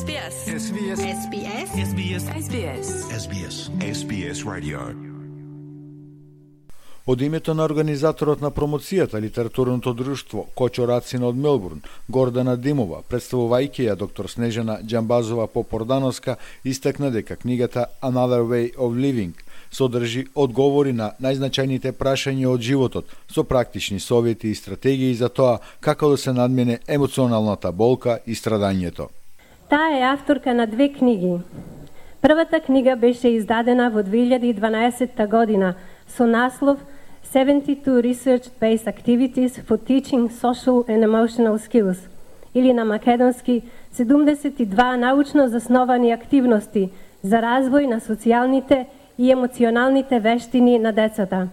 SBS. SBS. SBS. SBS. SBS. SBS. SBS Radio. Од името на организаторот на промоцијата литературното друштво Кочо Рацина од Мелбурн, Гордана Димова, представувајќи ја доктор Снежана Џамбазова Попордановска, истакна дека книгата Another Way of Living содржи одговори на најзначајните прашања од животот, со практични совети и стратегии за тоа како да се надмине емоционалната болка и страдањето. Таа е авторка на 2 книги. Првата книга беше издадена во 2012 година со наслов 72 Research-Based Activities for Teaching Social and Emotional Skills, или на македонски 72 научно засновани активности за развој на социјалните и емоционалните вештини на децата.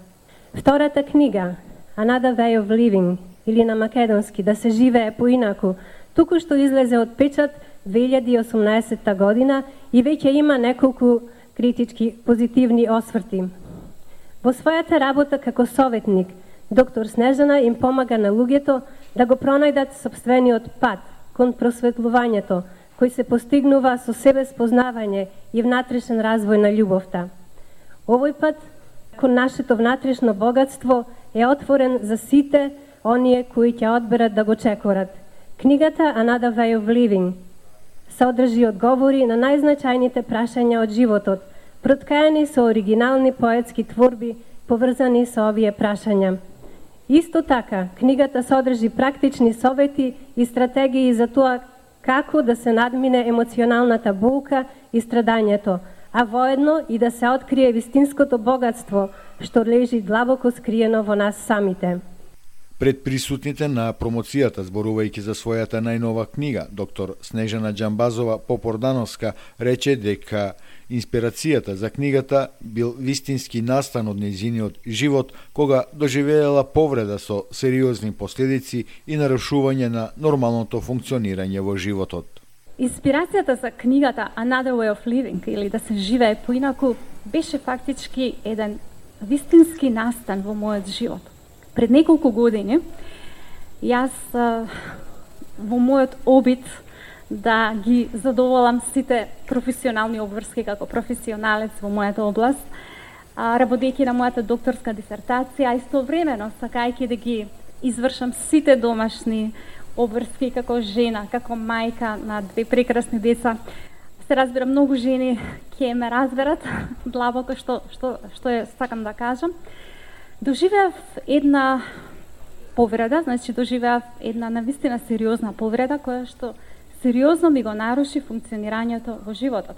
Втората книга, Another Way of Living, или на македонски Да се живее поинаку, туку што излезе од печат 2018 година и веќе има неколку критички позитивни осврти. Во својата работа како советник, доктор Снежана им помага на луѓето да го пронајдат сопствениот пат кон просветлувањето, кој се постигнува со себе спознавање и внатрешен развој на љубовта. Овој пат кон нашето внатрешно богатство е отворен за сите оние кои ќе одберат да го чекорат. Книгата Another Way of Living содржи одговори на најзначајните прашања од животот, проткаени со оригинални поетски творби поврзани со овие прашања. Исто така, книгата содржи практични совети и стратегии за тоа како да се надмине емоционалната болка и страдањето, а воедно и да се открие вистинското богатство што лежи длабоко скриено во нас самите. Пред присутните на промоцијата, зборувајќи за својата најнова книга, доктор Снежана Џамбазова Попордановска рече дека инспирацијата за книгата бил вистински настан од нејзиниот живот, кога доживеела повреда со сериозни последици и нарушување на нормалното функционирање во животот. Инспирацијата за книгата Another Way of Living, или Да се живее поинаку, беше фактички еден вистински настан во мојот живот. Пред неколку години, јас во мојот обид да ги задоволам сите професионални обврски како професионалец во мојата област, работејќи на мојата докторска дисертација, а истовремено сакајќи да ги извршам сите домашни обврски како жена, како мајка на 2 прекрасни деца. Се разбира, многу жени ќе ме разберат длабоко што е сакам да кажам. Доживеав една повреда, значи доживеав една навистина сериозна повреда која што сериозно ми го наруши функционирањето во животот.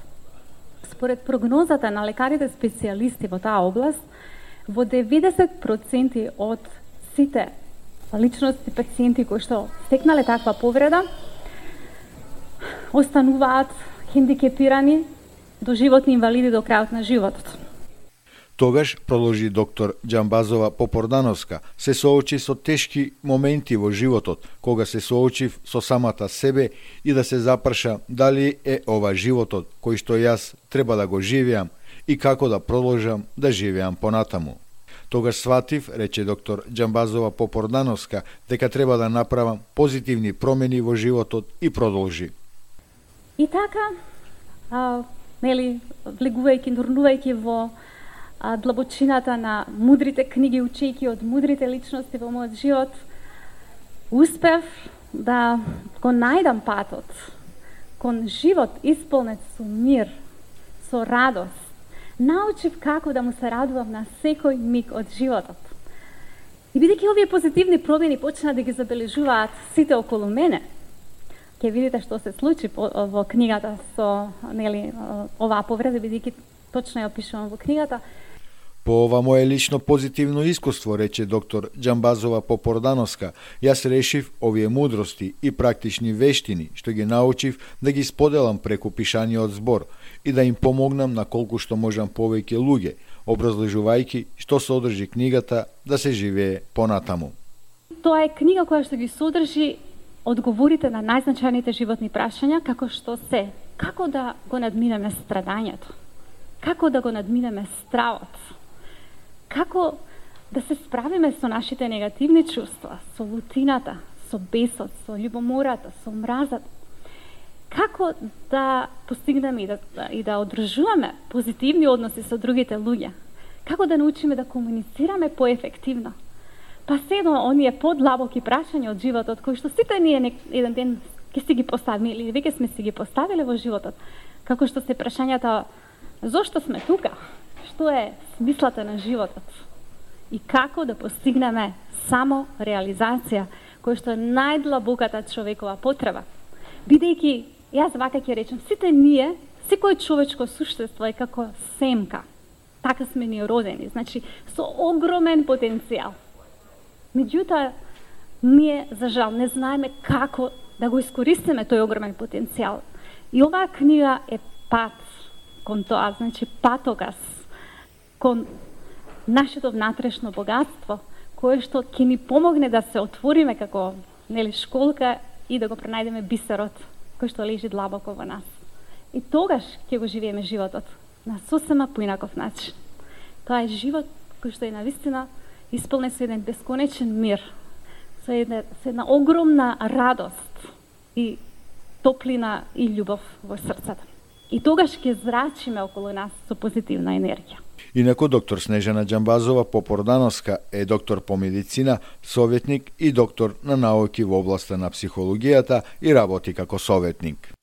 Според прогнозата на лекарите специјалисти во таа област, во 90% од сите личности пациенти кои што стекнале таква повреда остануваат хендикепирани, доживотни инвалиди до крајот на животот. Тогаш, продолжи доктор Џамбазова Попордановска, се соочи со тешки моменти во животот, кога се соочив со самата себе и да се запраша дали е ова животот кој што јас треба да го живеам и како да продолжам да живеам понатаму. Тогаш сватив, рече доктор Џамбазова Попордановска, дека треба да направам позитивни промени во животот и продолжи. И така, влегувајќи, нурнувајќи во длабочината на мудрите книги, учејќи од мудрите личности во мојот живот, успев да го најдам патот кон живот исполнет со мир, со радост. Научив како да му се радувам на секој миг од животот. И бидејќи овие позитивни промени почна да ги забележуваат сите околу мене, ќе видите што се случи во книгата со оваа повреда, бидејќи точно ја опишувам во книгата. По ова мое лично позитивно искуство, рече доктор Џамбазова Попордановска, јас решив овие мудрости и практични вештини што ги научив да ги споделам преку пишаниот збор и да им помогнам на колку што можам повеќе луѓе, образложувајќи што содржи книгата Да се живее понатаму. Тоа е книга која што ги содржи одговорите на најзначајните животни прашања, како што се, како да го надминеме страдањето, како да го надминеме стравот, како да се справиме со нашите негативни чувства, со лутината, со бесот, со љубомората, со мразот. како да постигнеме и да одржуваме позитивни односи со другите луѓе, како да научиме да комуницираме поефективно. Па се до оние подлабоки прашања од животот, кои што сите ние еден ден ќе си ги поставиме или веќе сме си ги поставиле во животот, како што се прашањата зошто сме тука, што е смислата на животот и како да постигнеме само реализација, која што е најдлабоката човекова потреба. Бидејќи, јас вака ќе речем, сите ние, секој човечко суштество е како семка. Така сме ние родени, значи со огромен потенцијал. Меѓутоа, ние, за жал, не знаеме како да го искористиме тој огромен потенцијал. И оваа книга е пат кон тоа, значи патоказ кон нашето внатрешно богатство, кое што ќе ни помогне да се отвориме како школка и да го пронајдеме бисерот кој што лежи длабоко во нас. И тогаш ќе го живееме животот на сосема поинаков начин. Тоа е живот кој што е навистина исполнен со еден бесконечен мир, со една огромна радост и топлина и љубов во срцата. И тогаш ќе зрачиме околу нас со позитивна енергија. Инаку доктор Снежана Џамбазова Попордановска е доктор по медицина, советник и доктор на науки во областа на психологијата и работи како советник.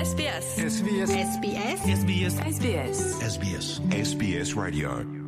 SBS. SBS. SBS. SBS. SBS. SBS. SBS Radio.